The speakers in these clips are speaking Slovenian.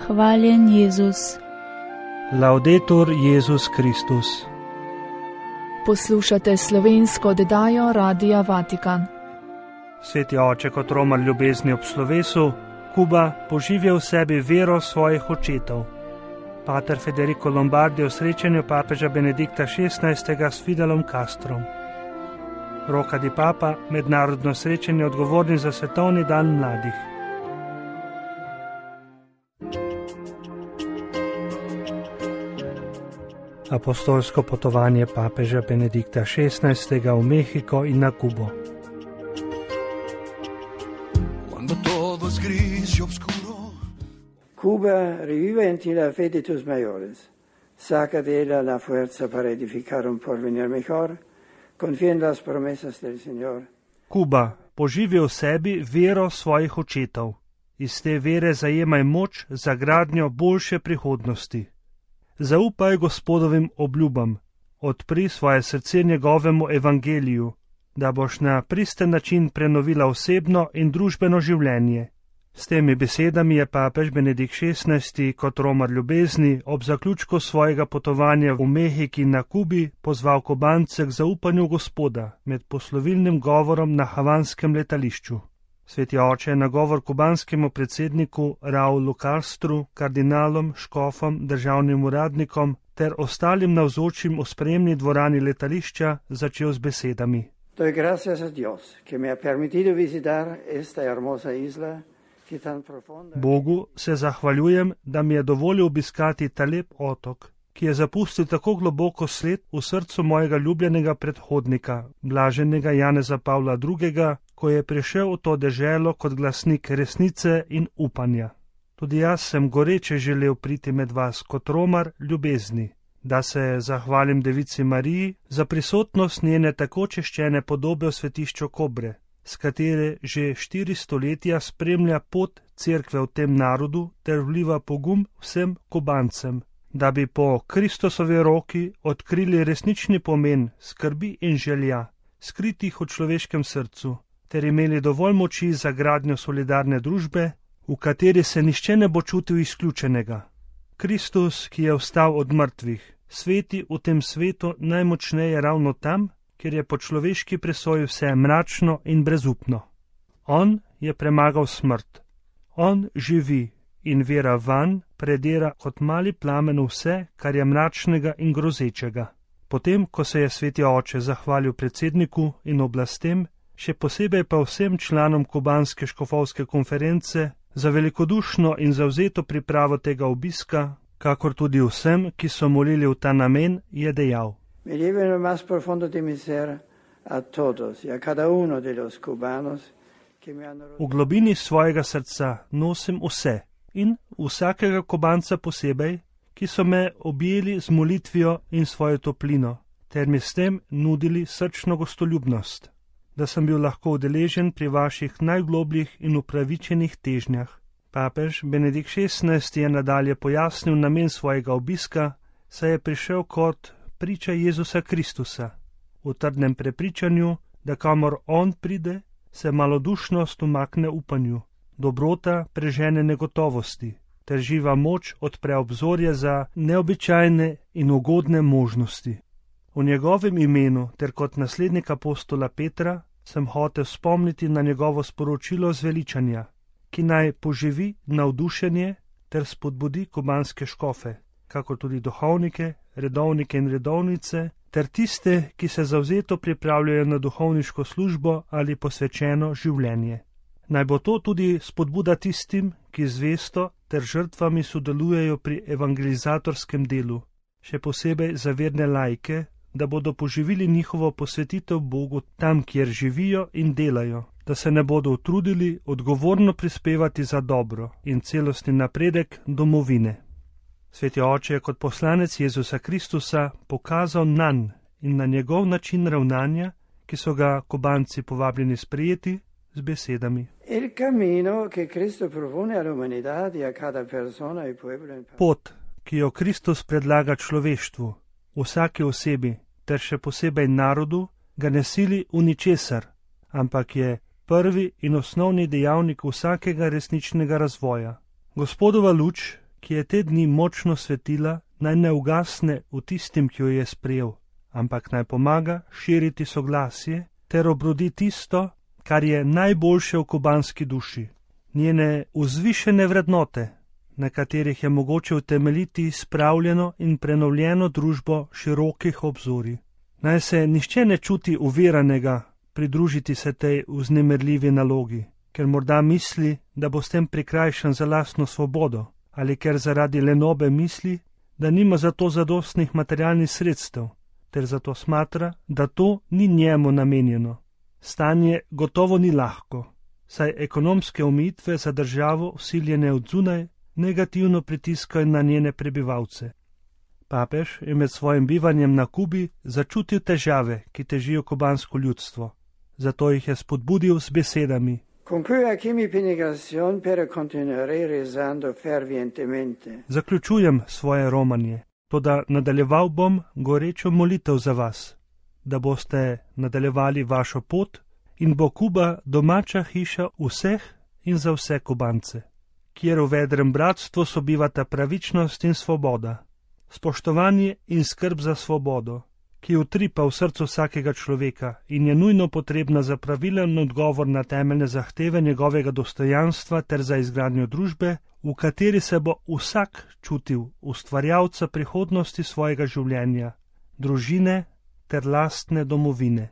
Hvaljen Jezus. Laudetur Jezus Kristus. Poslušate slovensko oddajo Radia Vatikan. Sveti oče kot romar ljubezni ob slovesu, Kuba poživlja v sebi vero svojih očetov. Pater Federico Lombardi o srečanju papeža Benedikta XVI. S Fidelom Castrom. Roka di Papa, mednarodno srečanje odgovornih za svetovni dan mladih. Apostolsko potovanje papeža Benedikta XVI. V Mehiko in na Kubo. Cuba revive en ti la fe de tus mayores. Saca de ella la fuerza para edificar un porvenir mejor. Confía en las promesas del Señor. Kuba, poživi v sebi vero svojih očetov. Iz te vere zajemaj moč za gradnjo boljše prihodnosti. Zaupaj Gospodovim obljubam, odpri svoje srce njegovemu evangeliju, da boš na pristen način prenovila osebno in družbeno življenje. S temi besedami je papež Benedikt XVI. Kot romar ljubezni ob zaključku svojega potovanja v Mehiki na Kubi pozval Kubance k zaupanju Gospoda med poslovilnim govorom na havanskem letališču. Sveti oče je nagovor kubanskemu predsedniku Raulu Castru, kardinalom, škofom, državnim uradnikom ter ostalim navzočim v sprejemni dvorani letališča začel z besedami. Doy gracias a Dios, que me ha permitido visitar esta hermosa isla. Bogu se zahvaljujem, da mi je dovolil obiskati ta lep otok, ki je zapustil tako globoko sled v srcu mojega ljubljenega predhodnika, blaženega Janeza Pavla II., ko je prišel v to deželo kot glasnik resnice in upanja. Tudi jaz sem goreče želel priti med vas kot romar ljubezni, da se zahvalim Devici Mariji za prisotnost njene tako češčene podobe v svetišču Kobre, s katere že 4 stoletja spremlja pot cerkve v tem narodu ter vliva pogum vsem Kubancem, da bi po Kristusovi roki odkrili resnični pomen skrbi in želja, skritih v človeškem srcu, ter imeli dovolj moči za gradnjo solidarne družbe, v kateri se nišče ne bo čutil izključenega. Kristus, ki je vstal od mrtvih, sveti v tem svetu najmočneje ravno tam, kjer je po človeški presoji vse mračno in brezupno. On je premagal smrt. On živi in vera vanj predira kot mali plamen vse, kar je mračnega in grozečega. Potem, ko se je sveti oče zahvalil predsedniku in oblastem, še posebej pa vsem članom kubanske škofovske konference za velikodušno in zavzeto pripravo tega obiska, kakor tudi vsem, ki so molili v ta namen, je dejal. Me llevo en lo más profundo de mi ser a todos y a cada uno de los cubanos que me han rodeado. V globini svojega srca nosim vse in vsakega Kubanca posebej, ki so me objeli z molitvijo in svojo toplino, ter mi s tem nudili srčno gostoljubnost, da sem bil lahko udeležen pri vaših najglobljih in upravičenih težnjah. Papež Benedikt XVI. Je nadalje pojasnil namen svojega obiska, saj je prišel kot priča Jezusa Kristusa, v trdnem prepričanju, da kamor on pride, se malodušnost umakne upanju, dobrota prežene negotovosti, ter živa moč odpre obzorje za neobičajne in ugodne možnosti. V njegovem imenu ter kot naslednik apostola Petra sem hotel spomniti na njegovo sporočilo zveličanja, ki naj poživi navdušenje ter spodbudi kubanske škofe, kakor tudi duhovnike, redovnike in redovnice, ter tiste, ki se zavzeto pripravljajo na duhovniško službo ali posvečeno življenje. Naj bo to tudi spodbuda tistim, ki zvesto ter žrtvami sodelujejo pri evangelizatorskem delu, še posebej za verne laike, da bodo poživili njihovo posvetitev Bogu tam, kjer živijo in delajo, da se ne bodo utrudili odgovorno prispevati za dobro in celostni napredek domovine. Sveti oče je kot poslanec Jezusa Kristusa pokazal nanj in na njegov način ravnanja, ki so ga Kubanci povabljeni sprejeti, z besedami. Pot, ki jo Kristus predlaga človeštvu, vsaki osebi, ter še posebej narodu, ga ne sili v ničesar, ampak je prvi in osnovni dejavnik vsakega resničnega razvoja. Gospodova luč, ki je te dni močno svetila, naj ne ugasne v tistim, ki jo je sprejel, ampak naj pomaga širiti soglasje ter obrodi tisto, kar je najboljše v kubanski duši, njene vzvišene vrednote, na katerih je mogoče utemeljiti spravljeno in prenovljeno družbo širokih obzorij. Naj se nihče ne čuti uviranega pridružiti se tej vznemirljivi nalogi, ker morda misli, da bo s tem prikrajšan za lastno svobodo, ali ker zaradi lenobe misli, da nima za to zadostnih materialnih sredstev, ter zato smatra, da to ni njemu namenjeno. Stanje gotovo ni lahko, saj ekonomske omejitve za državo vsiljene od zunaj negativno pritiskajo na njene prebivalce. Papež je med svojim bivanjem na Kubi začutil težave, ki težijo kubansko ljudstvo. Zato jih je spodbudil z besedami: Zaključujem svoje romanje, toda nadaljeval bom gorečo molitev za vas, da boste nadaljevali vašo pot in bo Kuba domača hiša vseh in za vse Kubance, kjer v vedrem bratstvu sobivata pravičnost in svoboda, spoštovanje in skrb za svobodo, ki utripa v srcu vsakega človeka in je nujno potrebna za pravilen odgovor na temeljne zahteve njegovega dostojanstva ter za izgradnjo družbe, v kateri se bo vsak čutil ustvarjalca prihodnosti svojega življenja, družine ter lastne domovine.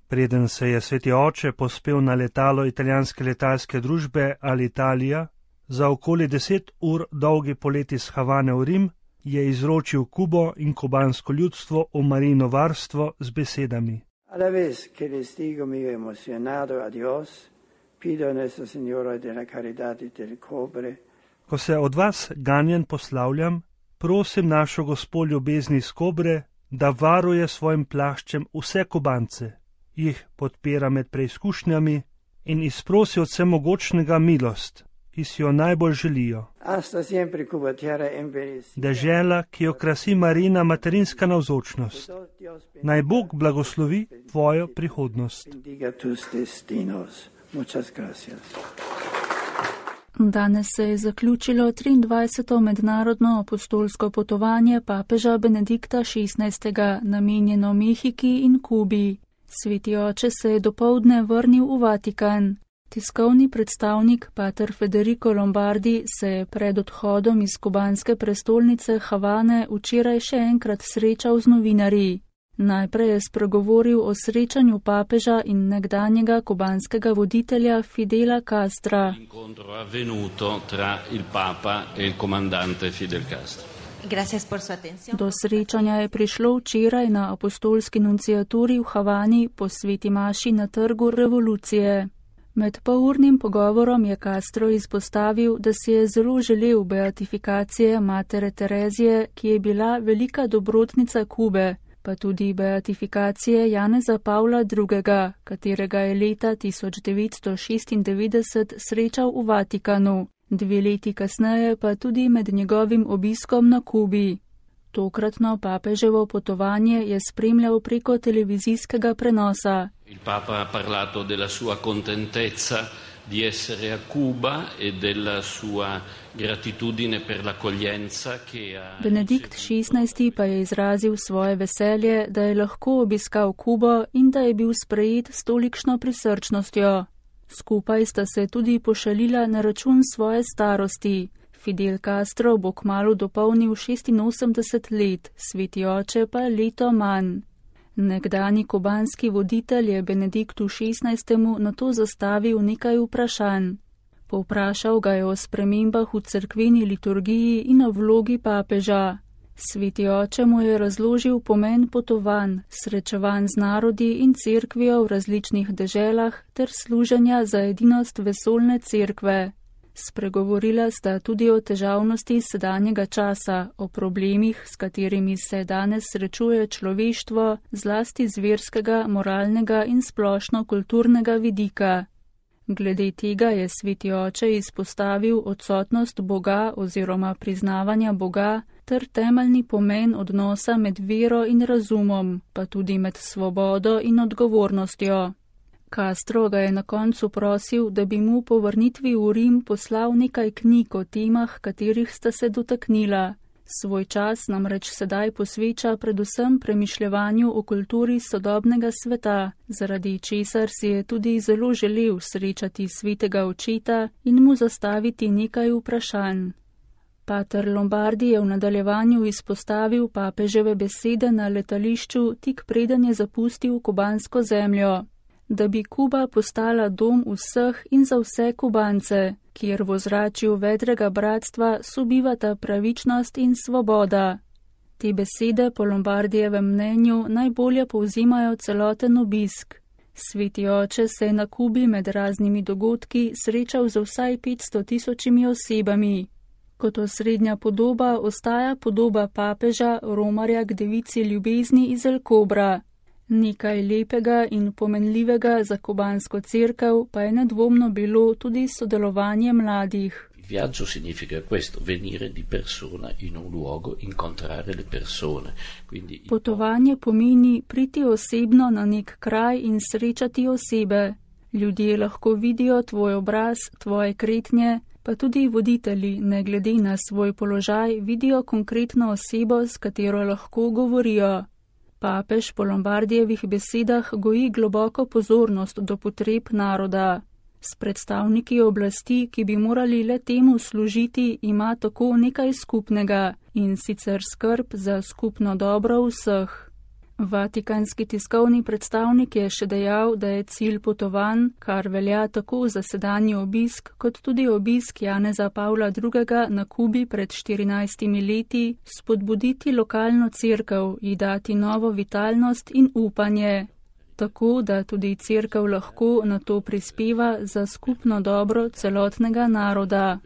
Preden se je sveti oče povzpel na letalo italijanske letalske družbe Alitalia, za okoli 10 ur dolgi polet iz Havane v Rim, je izročil Kubo in kubansko ljudstvo v Marijino varstvo z besedami: Ko se od vas ganjen poslavljam, prosim našo Gospo ljubezni iz Kobre, da varuje svojim plaščem vse Kubance, jih podpira med preizkušnjami in izprosi od vsemogočnega milost, ki si jo najbolj želijo. Dežela, ki jo krasi Marijina materinska navzočnost. Naj Bog blagoslovi tvojo prihodnost. Danes se je zaključilo 23. mednarodno apostolsko potovanje papeža Benedikta XVI. Namenjeno Mehiki in Kubi. Sveti oče se je dopoldne vrnil v Vatikan. Tiskovni predstavnik pater Federico Lombardi se je pred odhodom iz kubanske prestolnice Havane včeraj še enkrat srečal z novinarji. Najprej je spregovoril o srečanju papeža in nekdanjega kubanskega voditelja Fidela Castra. Do srečanja je prišlo včeraj na apostolski nunciaturi v Havani po sveti maši na Trgu revolucije. Med polurnim pogovorom je Castro izpostavil, da si je zelo želel beatifikacije matere Terezije, ki je bila velika dobrotnica Kube, pa tudi beatifikacije Janeza Pavla II., katerega je leta 1996 srečal v Vatikanu, 2 leti kasneje pa tudi med njegovim obiskom na Kubi. Tokratno papeževo potovanje je spremljal preko televizijskega prenosa. Il Papa ha parlato della sua contentezza di essere a Cuba e della sua gratitudine per l'accoglienza che ha. Benedikt XVI. Pa je izrazil svoje veselje, da je lahko obiskal Kubo in da je bil sprejet s tolikšno prisrčnostjo. Skupaj sta se tudi pošalila na račun svoje starosti. Fidel Castro bo kmalu dopolnil 86 let, sveti oče pa leto manj. Nekdani kubanski voditelj je Benediktu XVI. Na to zastavil nekaj vprašanj. Povprašal ga je o spremembah v cerkveni liturgiji in o vlogi papeža. Sveti oče mu je razložil pomen potovanj, srečevanj z narodi in cerkvijo v različnih deželah ter služenja za edinost vesoljne cerkve. Spregovorila sta tudi o težavnosti sedanjega časa, o problemih, s katerimi se danes srečuje človeštvo, zlasti z verskega, moralnega in splošno kulturnega vidika. Glede tega je sveti oče izpostavil odsotnost Boga oziroma priznavanja Boga ter temeljni pomen odnosa med vero in razumom, pa tudi med svobodo in odgovornostjo. Castro ga je na koncu prosil, da bi mu po vrnitvi v Rim poslal nekaj knjig o temah, katerih sta se dotaknila. Svoj čas namreč sedaj posveča predvsem premišljevanju o kulturi sodobnega sveta, zaradi česar si je tudi zelo želel srečati svetega očeta in mu zastaviti nekaj vprašanj. Pater Lombardi je v nadaljevanju izpostavil papeževe besede na letališču tik preden je zapustil kubansko zemljo, da bi Kuba postala dom vseh in za vse Kubance, kjer v ozračju vedrega bratstva sobivata pravičnost in svoboda. Te besede po Lombardijevem mnenju najbolje povzimajo celoten obisk. Sveti oče se je na Kubi med raznimi dogodki srečal z vsaj 500.000 osebami. Kot osrednja podoba ostaja podoba papeža romarja k devici ljubezni iz El Kobra. Nekaj lepega in pomenljivega za kubansko cerkev pa je nedvomno bilo tudi sodelovanje mladih. Viaggio significa questo, venire di persona in un luogo, incontrare le persone. Quindi... Potovanje pomeni priti osebno na nek kraj in srečati osebe. Ljudje lahko vidijo tvoj obraz, tvoje kretnje, pa tudi voditelji, ne glede na svoj položaj, vidijo konkretno osebo, s katero lahko govorijo. Papež po Lombardijevih besedah goji globoko pozornost do potreb naroda. S predstavniki oblasti, ki bi morali le temu služiti, ima tako nekaj skupnega, in sicer skrb za skupno dobro vseh. Vatikanski tiskovni predstavnik je še dejal, da je cilj potovanj, kar velja tako za sedanji obisk, kot tudi obisk Janeza Pavla II. Na Kubi pred 14 leti, spodbuditi lokalno cerkev, ji dati novo vitalnost in upanje, tako da tudi cerkev lahko na to prispeva za skupno dobro celotnega naroda.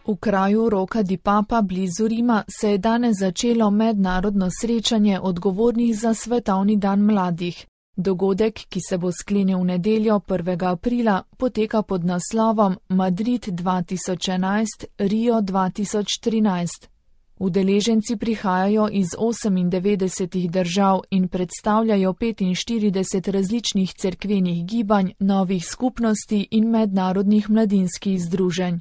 V kraju Rocca di Papa blizu Rima se je danes začelo mednarodno srečanje odgovornih za Svetovni dan mladih. Dogodek, ki se bo sklenil v nedeljo 1. aprila, poteka pod naslovom Madrid 2011, Rio 2013. Udeleženci prihajajo iz 98 držav in predstavljajo 45 različnih cerkvenih gibanj, novih skupnosti in mednarodnih mladinskih združenj.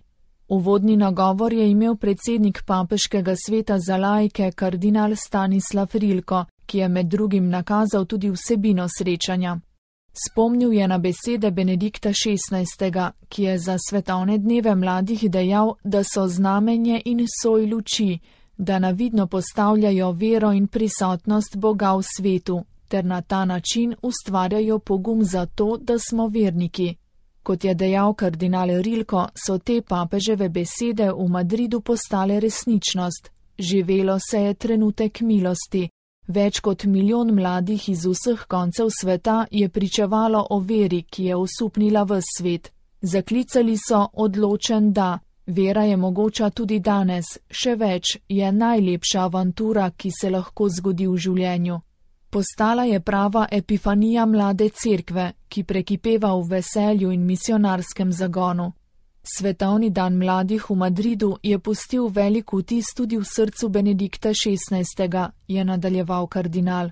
Uvodni nagovor je imel predsednik Papeškega sveta za laike kardinal Stanislav Rilko, ki je med drugim nakazal tudi vsebino srečanja. Spomnil je na besede Benedikta XVI., ki je za svetovne dneve mladih dejal, da so znamenje in soj luči, da navidno postavljajo vero in prisotnost Boga v svetu, ter na ta način ustvarjajo pogum za to, da smo verniki. Kot je dejal kardinal Rilko, so te papeževe besede v Madridu postale resničnost. Živelo se je trenutek milosti. Več kot 1 milijon mladih iz vseh koncev sveta je pričevalo o veri, ki je osupnila ves svet. Zaklicali so odločen da. Vera je mogoča tudi danes, še več, je najlepša avantura, ki se lahko zgodi v življenju. Postala je prava epifanija mlade cerkve, ki prekipeva v veselju in misionarskem zagonu. Svetovni dan mladih v Madridu je pustil velik vtis tudi v srcu Benedikta XVI., je nadaljeval kardinal.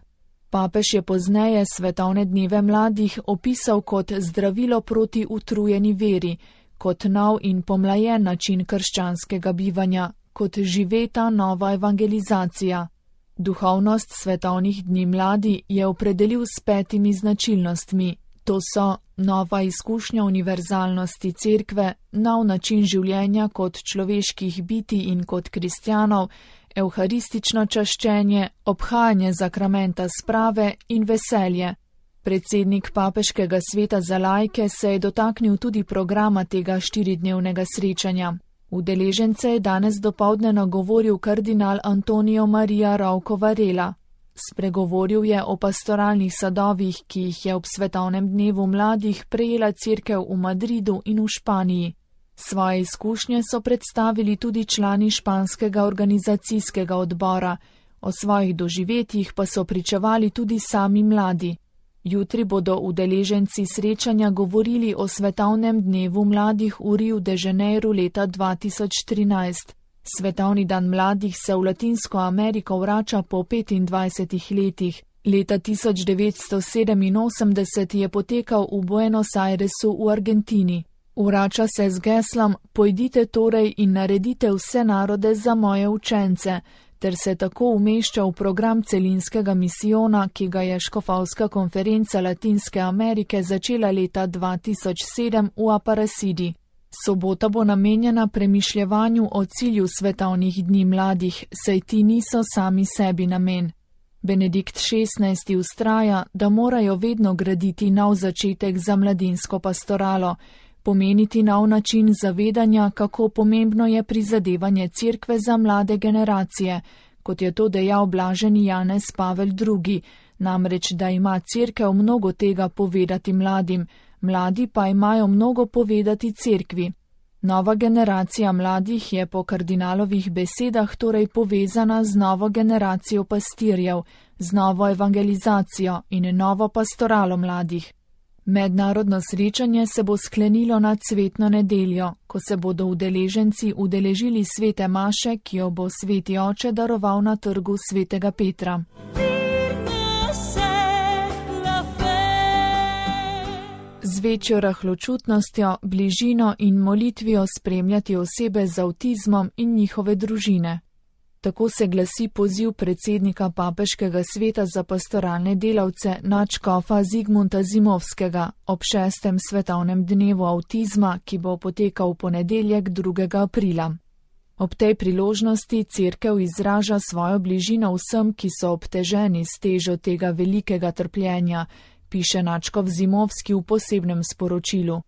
Papež je pozneje svetovne dneve mladih opisal kot zdravilo proti utrujeni veri, kot nov in pomlajen način krščanskega bivanja, kot živeta nova evangelizacija. Duhovnost svetovnih dni mladi je opredelil s 5 značilnostmi. To so nova izkušnja univerzalnosti cerkve, nov način življenja kot človeških bitij in kot kristjanov, evharistično čaščenje, obhajanje zakramenta sprave in veselje. Predsednik Papeškega sveta za laike se je dotaknil tudi programa tega 4-dnevnega srečanja. Udeležence je danes dopoldne nagovoril kardinal Antonio Maria Rouco Varela. Spregovoril je o pastoralnih sadovih, ki jih je ob svetovnem dnevu mladih prejela cerkev v Madridu in v Španiji. Svoje izkušnje so predstavili tudi člani španskega organizacijskega odbora, o svojih doživetjih pa so pričevali tudi sami mladi. Jutri bodo udeleženci srečanja govorili o svetovnem dnevu mladih v Riu de Janeiro leta 2013. Svetovni dan mladih se v Latinsko Ameriko vrača po 25 letih. Leta 1987 je potekal v Buenos Airesu v Argentini. Vrača se z geslom Pojdite torej in naredite vse narode za moje učence, ter se tako umešča v program celinskega misijona, ki ga je Škofovska konferenca Latinske Amerike začela leta 2007 v Aparecidi. Sobota bo namenjena premišljevanju o cilju svetovnih dni mladih, saj ti niso sami sebi namen. Benedikt XVI. Vztraja, da morajo vedno graditi nov začetek za mladinsko pastoralo, pomeniti nov način zavedanja, kako pomembno je prizadevanje Cerkve za mlade generacije, kot je to dejal blaženi Janez Pavel II., namreč, da ima Cerkev mnogo tega povedati mladim, mladi pa imajo mnogo povedati Cerkvi. Nova generacija mladih je po kardinalovih besedah torej povezana z novo generacijo pastirjev, z novo evangelizacijo in novo pastoralo mladih. Mednarodno srečanje se bo sklenilo nad Cvetno nedeljo, ko se bodo udeleženci udeležili svete maše, ki jo bo sveti oče daroval na trgu svetega Petra. Z večjo rahločutnostjo, bližino in molitvijo spremljati osebe z avtizmom in njihove družine. Tako se glasi poziv predsednika Papeškega sveta za pastoralne delavce nadškofa Zigmunta Zimovskega ob 6. svetovnem dnevu avtizma, ki bo potekal v ponedeljek 2. aprila. Ob tej priložnosti Cerkev izraža svojo bližino vsem, ki so obteženi s težo tega velikega trpljenja, piše nadškof Zimovski v posebnem sporočilu.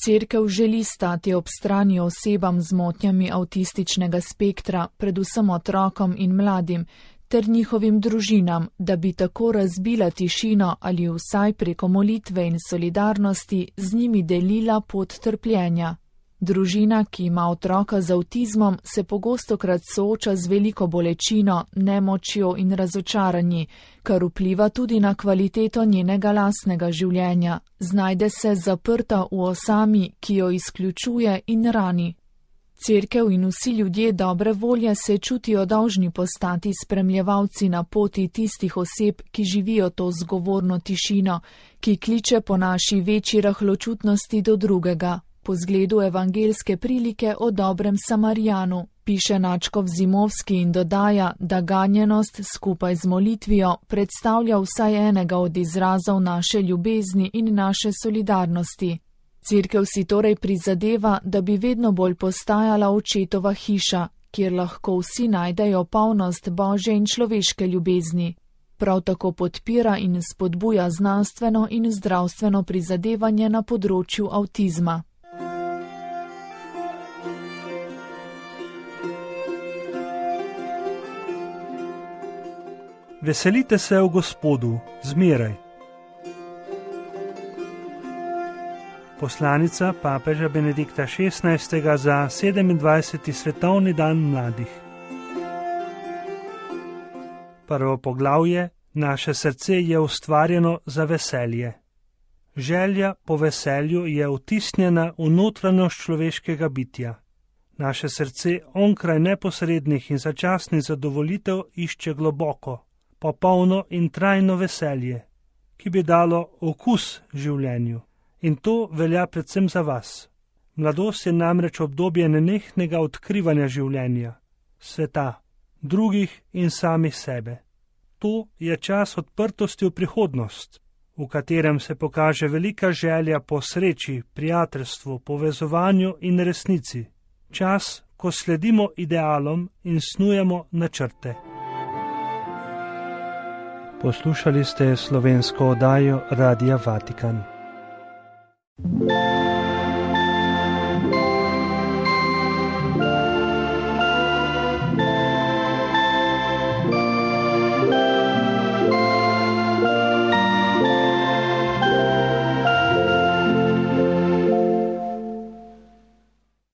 Cerkev želi stati ob strani osebam z motnjami avtističnega spektra, predvsem otrokom in mladim, ter njihovim družinam, da bi tako razbila tišino ali vsaj preko molitve in solidarnosti z njimi delila pot trpljenja. Družina, ki ima otroka z avtizmom, se pogostokrat sooča z veliko bolečino, nemočjo in razočaranji, kar vpliva tudi na kvaliteto njenega lastnega življenja. Znajde se zaprta v osami, ki jo izključuje in rani. Cerkev in vsi ljudje dobre volje se čutijo dolžni postati spremljevalci na poti tistih oseb, ki živijo to zgovorno tišino, ki kliče po naši večji rahločutnosti do drugega. Po zgledu evangelske prilike o dobrem Samarijanu, piše nadškof Zimovski in dodaja, da ganjenost skupaj z molitvijo predstavlja vsaj enega od izrazov naše ljubezni in naše solidarnosti. Cerkev si torej prizadeva, da bi vedno bolj postajala očetova hiša, kjer lahko vsi najdejo polnost božje in človeške ljubezni. Prav tako podpira in spodbuja znanstveno in zdravstveno prizadevanje na področju avtizma. Veselite se v Gospodu, zmeraj. Poslanica papeža Benedikta XVI. Za 27. svetovni dan mladih. Prvo poglavje: Naše srce je ustvarjeno za veselje. Želja po veselju je vtisnjena v notranjost človeškega bitja. Naše srce onkraj neposrednih in začasnih zadovoljitev išče globoko, popolno in trajno veselje, ki bi dalo okus življenju. In to velja predvsem za vas. Mladost je namreč obdobje nenehnega odkrivanja življenja, sveta, drugih in samih sebe. To je čas odprtosti v prihodnost, v katerem se pokaže velika želja po sreči, prijateljstvu, povezovanju in resnici. Čas, ko sledimo idealom in snujemo načrte. Poslušali ste slovensko oddajo Radia Vatikan.